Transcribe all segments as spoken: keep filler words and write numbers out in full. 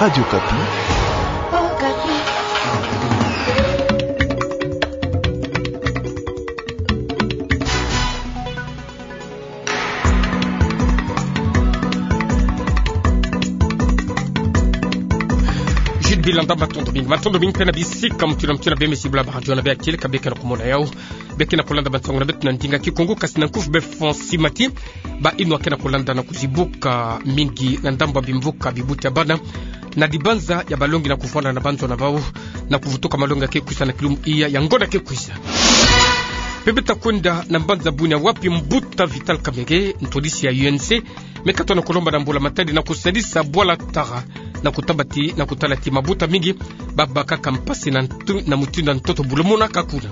Radio Okapi. Jules Bilanda, matondo mingi, matondo mingi mpe na bisika mutindu na mutindu bemesi bula ba radio na bê ya kieleka, bê ke na kumona yau, bê ke na kulanda bansangu na beto na ndinga Kikongo, kasi na nkufi bê François Mati. Ba inwa ke na kulanda na kuzibuka mingi na ndambu ya bimvuka bibuti ya bana na dibanza ya balongi na kuvwanda na banzo na bau, na kuvutuka malongi ya ke kwisa na kilumbu iya ya ngonda ke kwisa. Mpe beta kwenda na mbanza bunia wapi mbuta Vital Kamerhe, ntwadisi ya U N C, me katoa na kulomba na mbula matadi na kusadisa bwala tara na kutabati na kutala ti mabuta mingi ba bakaka mpasi na ntu-, na mutindu ya ntoto bulumonaka kuna.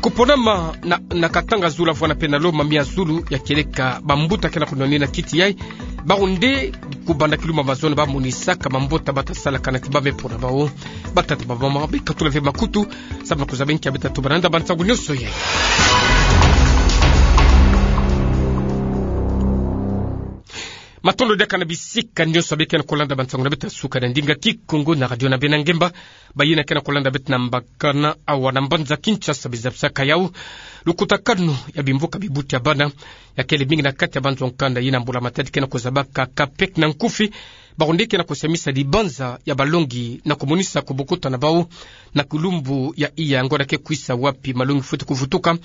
Kuponama na, na Katanga zulu vwanda mpe na Loma mia zulu ya kieleka, bambuta ke na kunwanina kiti yai, bawu nde kubanda kilumbu ya mazono bamonisaka mambota bata salaka na ti bamama mpe na bau, batata, bamama, bikatula ve makutu, samu na kuzaba nki ya beta tuba na nda bansangu nionso yai. Matondo diaka na bisika nionso bê ke na kulanda bansangu na beta suka na ndinga Kikongo na radio na bê na ngemba. Bayina ke na kulanda beto na mbakana awa na mbanza Kinshasa, beza bisaka yau lukutakanu ya bimvuka bibuti ya bana, ya kele mingi na kati ya banzo nkanda. Yina mbula matadi ke na kuzabaka CAPEC na nkufi, bawu nde ke na kusamisa dibanza ya balongi na kumonisa kubukuta na bau na kilumbu ya iya ngonda ke kwisa wapi malongi fwete kuvutuka,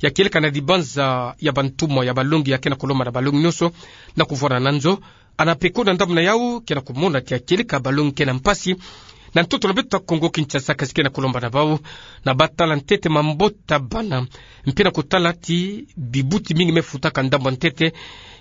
ya kieleka na dibanza ya bantumwa ya balongi ya ke na kulomba na balongi nionso na kuvwanda na nzo. ANAPECO na ndambu na yau ke na kumona ti ya kieleka balongi ke na mpasi na ntoto na beto Kongo Kinshasa, kasi ke na kulomba na bau na batala ntete mambota bana, mpe na kutala ti bibuti mingi me futaka ndambu ya ntete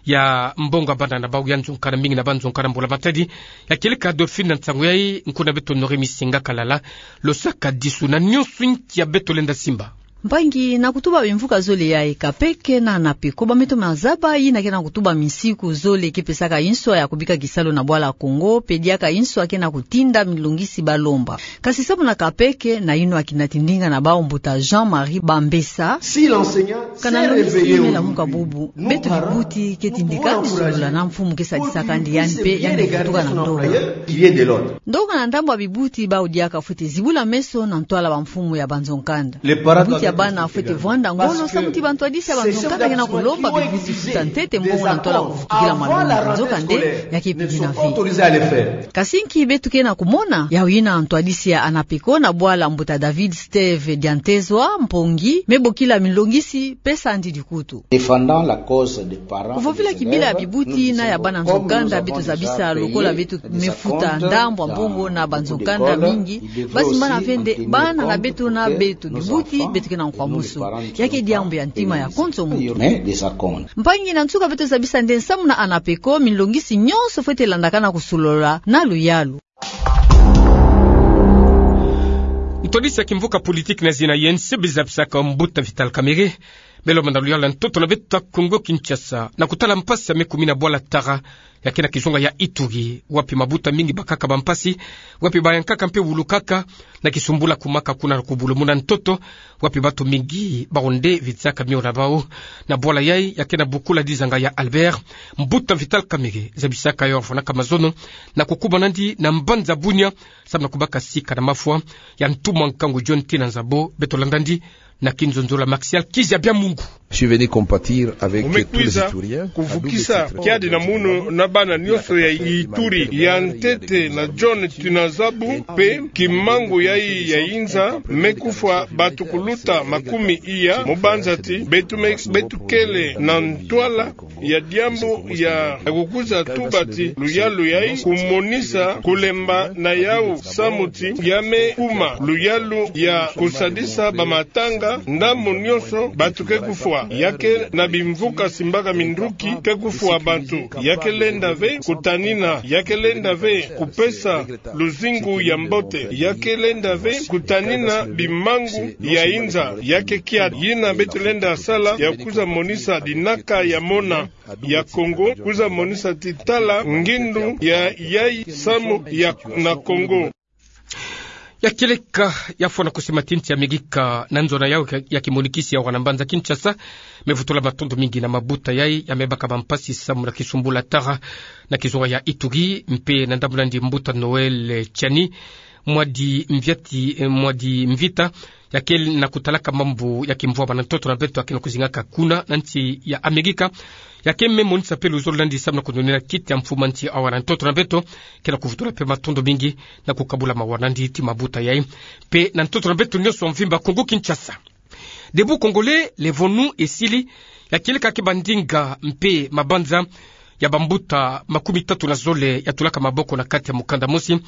ya mbongo ya bana na bau ya nzo nkanda, mingi na banzo nkanda mbula matadi, ya kieleka Dauphine na nsangu yai, nkuna beto Honoré Misinga Kalala, losaka disu na nionso nki ya beto lenda simba. Mpangi, na kutuba bimvuka zole yai, CAPEC na ANAPECO bameto mazaba yina ke na kutuba misiku zole ke pesaka inswa ya kubika kisalu na bwala Kongo, mpe diaka inswa ke na kutinda milongisi balomba. Kasi samu na CAPEC, na inwa kina ti ndinga na bau mbuta Jean-Marie Bambesa, kana longisi me lamuka bubu, beto bibuti ke tindika ni solola na mfumu ke sadisaka ndi yandi mpe yandi vutuka na ndonga. Ndonga na ndambu ya bibuti bau diaka fwete zibula meso na ntwala bamfumu ya banzo nkanda. Bibuti ya bana fwete vwanda ngolo samu ti bantwadisi ya banzo nkanda ke na kulomba bibuti futa ntete mbongo na ntwala kuvutukila malongi, nzokande ya ke pidina ve. Kasi nki beto ke na kumona? Yau yina ntwadisi ya ANAPECO na bwala mbuta David Steve Diantezwa, mpongi me bokila milongisi, pesa ndi dikutu. Kuvovila kibila ya bibuti na ya bana nzo nkanda, beto zabisa lokola beto me futa ndambu ya mbongo na banzo nkanda mingi, bazimbana ve nde bana na beto na beto bibuti, beto ke na nkwamusu. Ya ke diambu ya ntima ya konso muntu. Mpangi, na nsuka beto zabisa nde samu na ANAPECO, milongisi nionso fwete landakana kusolola na luyalu. Ntwadisi ya kimvuka politiki na zina U N C, beza bisaka mbuta Vital Kamerhe, me lomba na luyalu ya ntoto na beto Kongo Kinshasa na kutala mpasi ya me kumina bwala tara ya ke na kizunga ya Ituri, wapi mabuta mingi bakaka bampasi, wapi bayankaka mpe wulukaka na kisumbula kumaka kuna na kubulumuna ntoto, wapi bantu mingi bawu nde vizaka mio na bau na bwala yai ya ke na bukula dizanga ya Albert. Mbuta Vital Kamerhe zabisaka yo vwanaka mazono na kukubana ndi na mbanza bunia, samu na kubaka sika na mafwa ya ntumwa nkangu John Tina Nzabo. Beto landa ndi na kinzonzolo ya Martial Kizabia Mungu. Je suis venu compatir avec tous les Ituriens. Mu me kwiza kuvukisa kiadi na munu na bana nionso ya Ituri, ya ntete na John Tina Nzabo, mpe kimangu yai ya inza me kufwa bantu kuluta makumi iya, mu banza ti beto me, beto kele na ntwala ya diambu ya kukwiza tuba ti luyalu yai kumonisa kulemba na yau samu ti ya me kuma luyalu ya kusadisa bamatanga, ndambu nionso bantu ke kufwa. Ya ke na bimvuka simbaka minduki ke kufwa bantu. Ya ke lenda ve kutanina, ya ke lenda ve kupesa luzingu ya mbote, ya ke lenda ve kutanina bimangu ya inza. Ya ke kiadi yina beto lenda sala ya kwiza monisa dinaka ya mona ya Kongo, kwiza monisa ti tala ngindu ya yai samu ya na Kongo. Ya kieleka, ya fwana kusimatinti ya migika na nzona yau ya kimonikisi ya wana mbanza Kinshasa, me vutula matondo mingi na mabuta yai ya mebaka bampasi samu na kisumbula tara na kizunga ya Ituri, mpe na ndambu nandi mbuta Noël Tshiani Mwadi Mviati, eh, Mwadi Mvita, ya kele na kutalaka mambu ya kimvwama na ntoto na beto, ya kele na kuzingaka kuna na nti ya Amerika. Ya kele me monisa mpe luzolo nandi samu na kunonina kiti ya mfumu a nti awa na ntoto na beto, kele na kuvutula mpe matondo mingi na kukabula mawa nandi ti mabuta yai mpe na ntoto na beto nyonso mvimba Kongo Kinshasa. Debout Congolais, levonu esili, ya kieleka ke bandinga mpe mabanza ya bambuta makumi tatu na zole ya tulaka maboko na kati ya mukanda mosi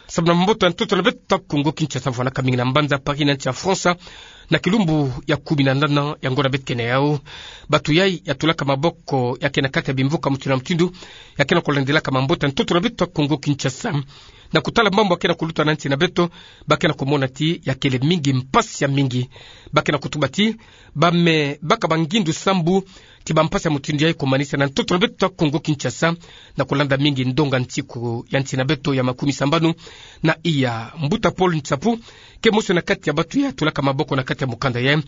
samu na mboto ya ntoto na beto Kongo Kinshasa, vwanaka mingi na mbanza Paris na nti ya France, na kilumbu ya kumi na nana ya ngonda beto ke na yau. Bato yai ya tulaka maboko ya ke na kati ya bimvuka mutindu na mutindu, ya ke na kulandelaka mamboto ya ntoto na beto Kongo Kinshasa. Na kutala mambu ya ke na kuluta na nti na beto, ba ke na kumona ti ya kele mingi mpasi ya mingi. Ba ke na kutuba ti ba me baka bangindu sambu ti bampasi ya mutindu yai kumanisa na ntoto na beto Kongo Kinshasa, na kulanda mingi ndonga nsiku ya nti na beto ya makumi sambanu na iya. Mbuta Paul Nsapu ke mosi na kati ya bato ya tulaka maboko na kati ya mukanda yai,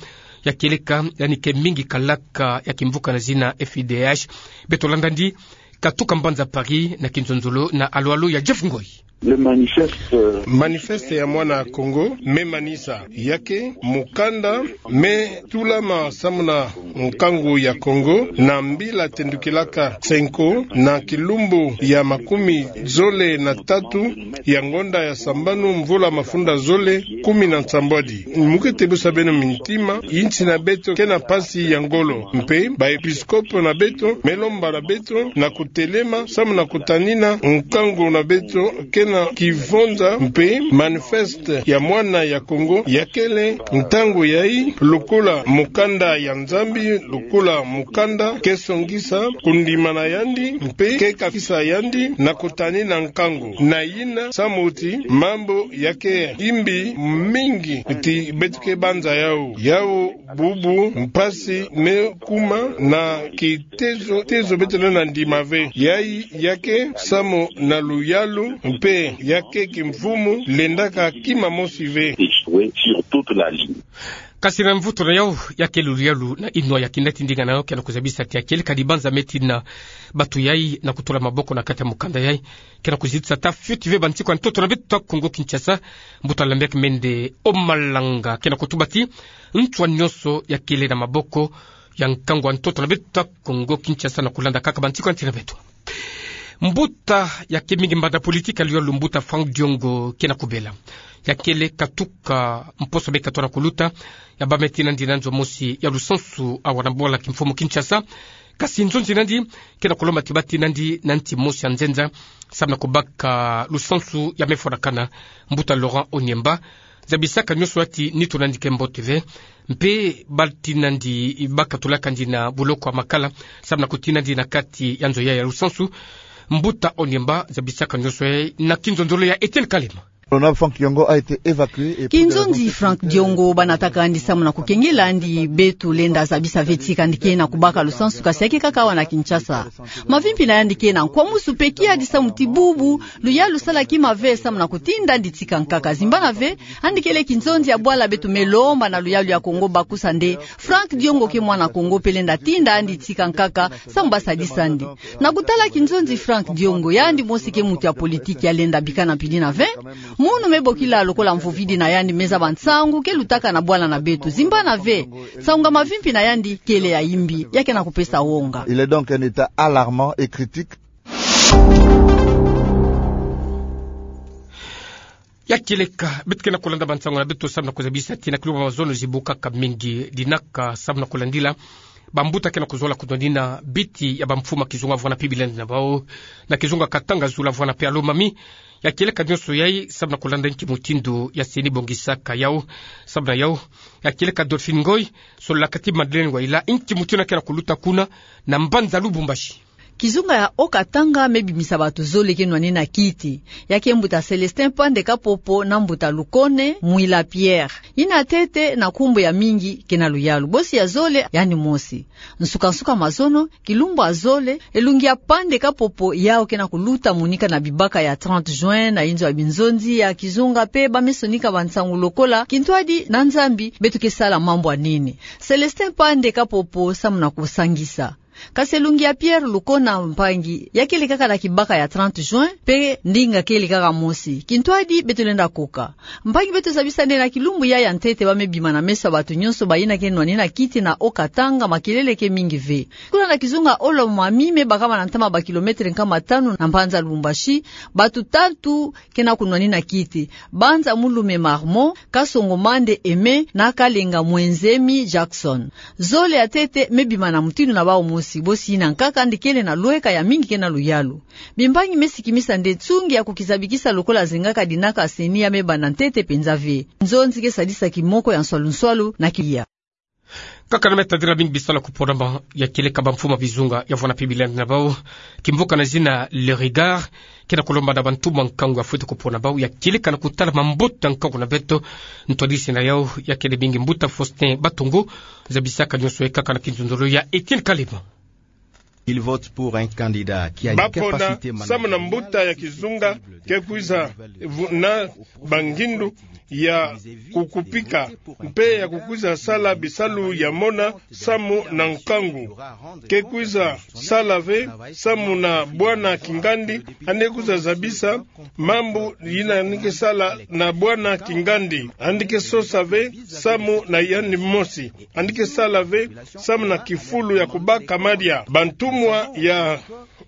ya kieleka yandi ke mingi kalaka ya kimvuka na zina F I D H. Beto landa nandi katuka mbanza Paris na kinzonzolo na Alo Alo ya Jeff Ngoi. Le manifeste, euh, manifeste ya mwana Kongo me manisa ya ke mukanda me tulama samu na nkangu ya Kongo na mbila tendukilaka Cenco na kilumbu ya makumi zole na tatu ya ngonda ya sambanu mvula mafunda zole kumi na nsambwadi. Mu ke tebusa beno mintima, insi na beto ke na mpasi ya ngolo, mpe baepiskopo na beto me lomba na beto na kutelema samu na kutanina nkangu na beto ke na kivonza, mpe manifeste ya mwana ya Kongo ya kele ntangu yai lokola mukanda ya Nzambi, lokola mukanda ke songisa kundima na yandi mpe ke kafisa yandi na kutanina nkangu na yina samu ti mambu ya ke imbi mingi ti beto ke banza yau. Yau bubu mpasi me kuma na kitezo, tezo beto lenda ndima ve. Yai ya ke samu na luyalu mpe ya ke kimfumu lendaka kima mosi ve. Échoué sur toute la ligne. Kasi na mvutu na yau, ya ke luyalu na inwa ya kina ti ndinga na yau ke na kuzabisa ti ya kieleka dibanza me tina bato yai na kutula maboko na kati ya mukanda yai ke na kuzitisa ta fioti ve bansiku ya ntoto na beto Kongo Kinshasa. Mbuta Lambert Mende Omalanga ke na kutuba ti nswa nyonso ya kele na maboko ya nkangu ya ntoto na beto Kongo Kinshasa na kulanda kaka bansiku ya nti na beto. Mbuta ya ke mingi mbanda politiki ya luyalu, mbuta Franck Diongo, ke na kubela. Ya kele katuka mposo be katona kuluta, ya bâ me tina nandi na nzo mosi ya lusansu awa na bwala kimfumu Kinshasa. Kasi nzonzi nandi ke na kulomba ti bâ tina nandi na nti mosi ya nzenza, samu na kubaka lusansu ya me fwanakana. Mbuta Laurent Oniemba zabisaka nyonso ya ti nitu nandi ke mbote ve, mpe bâ tina nandi ba katulaka nandi na boloko ya makala samu na kutina nandi na kati ya nzo yai ya lusansu. Mbuta Oniemba zabisaka nyonso yai na kinzonzolo ya Etienne Kalema. Honorable Franck Diongo a été évacué et pour des raisons sécuritaires. Kinzonzi Franck Diongo ba nataka nandi samu na kukengela nandi. Beto lenda zabisa ve ti kandi ke na kubaka lusansu, kasi ya ke kaka awa na Kinshasa. Mavimpi na yandi ke na nkwamusu mpe kiadi samu ti bubu luyalu sala kima ve samu na kutinda nandi tika nkaka. Zimbana ve, yandi kele kinzonzi ya bwala beto me lomba na luyalu ya Kongo bakusa nde Franck Diongo ke mwana Kongo mpe lenda tinda nandi tika nkaka samu ba sadisa nde. Na kutala kinzonzi Franck Diongo, yandi mosi ke muntu ya politiki ya lenda bikana mpidi na ve. Munu me bokila lokola mvovidi na yandi me zaba nsangu ke lutaka na bwala na beto. Zimbana ve, nsangu ya mavimpi na yandi kele ya imbi, ya ke na kupesa wonga. Il est donc un état alarmant et critique. Ya kieleka, beto ke na kulanda bansangu na beto samu na kuzabisa ti na kilumbu ya mazono zibukaka mingi dinaka samu na kulandila bambuta ke na kuzola kudonina biti ya bamfumu ya kizunga vwanda mpe bilendi na bau, na kizunga Katanga, Zulu vwanda mpe Lomami. Ya kieleka nyonso yai samu na kulanda nki mutindu ya CENI bongisaka yau. Samu na yau, ya kieleka Dolphine Ngoy sololaka ti Madeleine Waila nki mutindu ya ke na kuluta kuna na mbanza Lubumbashi. Kizunga ya Haut-Katanga me bimisa bato zole ke nwanina kiti. Ya ke mbuta Célestin Pande Kapopo na mbuta Lukone Mwila Pierre. Yina ntete na nkumbu ya mingi ke na luyalu. Bosi ya zole, yandi mosi. Nsuka-nsuka mazono, kilumbu ya zole, elungi ya Pande Kapopo yau ke na kuluta monika na bibaka ya trente juin, na inzo ya binzonzi ya kizunga, mpe ba me sonika bansangu lokola: Kintwadi na Nzambi, beto ke sala mambu ya nini? Célestin Pande Kapopo samu na kusangisa. Kasi elungi ya Pierre Lukona, mpangi, ya kele kaka na kibaka ya trente juin, mpe ndinga kele kaka mosi: Kintwadi, beto lenda koka. Mpangi, beto zabisa nde na kilumbu ya ya ntete ba me bima na meso ya bato nyonso bayina ke nwanina kiti na Haut-Katanga, makelele ke mingi ve. Kuna na kizunga Haut-Lomami, me bakama na ntama ba kilomètre nkama tanu na mbanza Lubumbashi, bato tatu ke na kunwanina kiti: Banza Mulume Marmon, Kasongo Mande Aimé, na Kalenga Mwenzemi Jackson. Zole ya ntete me bima na mutindu na bau mosi, bosi yina nkaka yandi kele na lweka ya mingi ke na luyalu. Bimbangi me sikimisa nde nsungi ya kukizabikisa lokola zengaka dinaka CENI ya me banda ntete mpenza ve. Nzonzi ke sadisa kimoko ya nswalu-nswalu na kiya. Kaka na me tadila mingi bisalu ya kuponama ya kieleka bamfumu ya bizunga, ya vwanda mpe bilendi na bau. Kimvuka na zina Le Regard ke na kulomba na bantumwa nkangu ya fwete kupona bau ya kieleka na kutala mambote ya nkangu na beto. Ntwadisi na yau ya kele mingi mbuta Faustin Batongo, zabisaka nyonso ye kaka na kinzonzolo ya Etienne Kalema. Il vote pour un candidat qui a une capacité managériale samu na mbuta ya kizunga ke kwiza vu-, na bangindu ya kukupika, mpe ya kukwiza sala bisalu ya mona samu na nkangu. Ke kwiza sala ve samu na bwana kingandi, yandi kwiza zabisa mambu yina yandi ke sala na bwana kingandi. Yandi ke sosa ve samu na yandi mosi. Yandi ke sala ve samu na kifulu ya kubaka madia. Bantumwa ya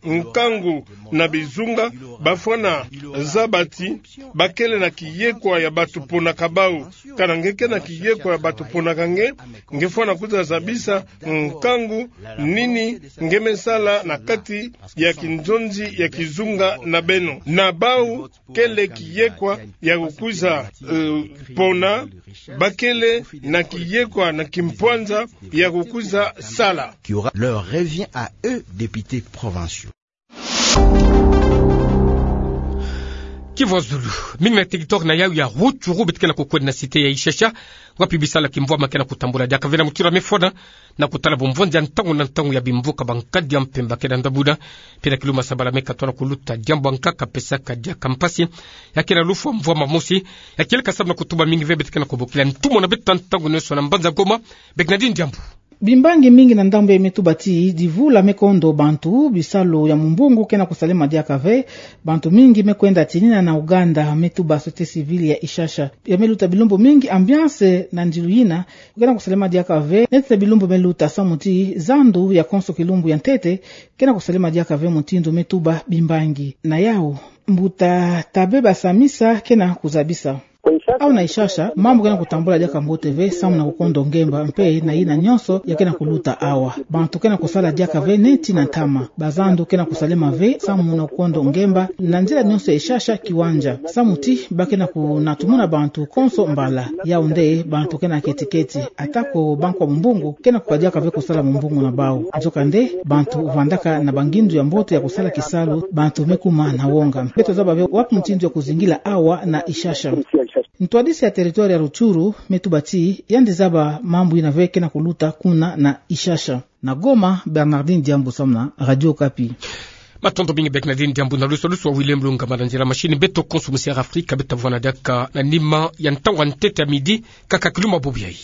nkangu na bizunga bafwana zaba ti ba kele na kiyekwa ya bato ponaka bau. Kana nge ke na kiyekwa ya bato ponaka nge, nge fwana kwiza zabisa nkangu nini nge me sala na kati ya kinzonzi ya kizunga na beno. Na bau kele kiyekwa ya kukwiza, eh, pona, ba kele na kiyekwa na kimpwanza ya kukwiza sala. Qui aura leur revient à eux, députés provinciaux. Kivu Zulu. Mingi na territoire na yau ya Rutshuru beto ke na kukwenda na cité ya Ishasha, wapi bisalu ya kimvwama ke na kutambula diaka ve na mutura mefwana na kutala bumvwanzi ya ntangu na ntangu ya bimvuka ba nkadi ya mpemba ke na ndabuda, mpe na kiluma sabala me katona kuluta diambu ya nkaka pesaka diaka mpasi, ya ke na lufwa mvwama mosi, ya kieleka samu na kutuba mingi ve beto ke na kubokila ntumwa na beto ntangu nyonso na mbanza Goma, Bernardine Diambu. Bimbangi mingi na ndambu ya me tuba ti divula me kondo bantu, bisalu ya mumbungu ke na kusalema diaka ve, bantu mingi me kwenda tinina na Uganda, me tuba société civile ya Ishasha. Ya me luta bilumbu mingi, ambiance na ndilu yina ke na kusalema diaka ve, neti na bilumbu me luta samu ti zandu ya konso kilumbu ya ntete ke na kusalema diaka ve, mutindu me tuba bimbangi. Na yau, mbuta Tabe Basamisa ke na kuzabisa. Awa na Ishasha, mambu ke na kutambula diaka mbote ve, samu na kukondo ngemba, mpe na yina nyonso ya ke na kuluta awa. Bantu ke na kusala diaka ve neti na ntama. Bazandu ke na kusalema ve, samu na kukondo ngemba, na nzila nyonso ya Ishasha kiwanja. Samu ti, ba ke na kunatumuna bantu konso mbala. Yau nde, bantu ke na keti-keti. Atako bankwa mumbungu, ke na kuka diaka ve kusala mumbungu na bau. Nzoka nde, bantu vandaka na bangindu ya mbote ya kusala kisalu, bantu me kuma na wonga. Beto zaba ve wapi mutindu ya kuzingila awa na Ishasha. Ntwadisi ya territoire ya Rutshuru me tuba ti yandi zaba mambu yina ve ke na kuluta kuna na Ishasha. Na Goma, Bernardine Diambu samu na Radio Okapi. Matondo mingi Bernardine Diambu na lusalusu wa William Lungama na nzila machine. Beto konso musi Air Afrique, beto vwana diaka na nima ya ntangu ya ntete ya midi, kaka kiluma bubu yayi.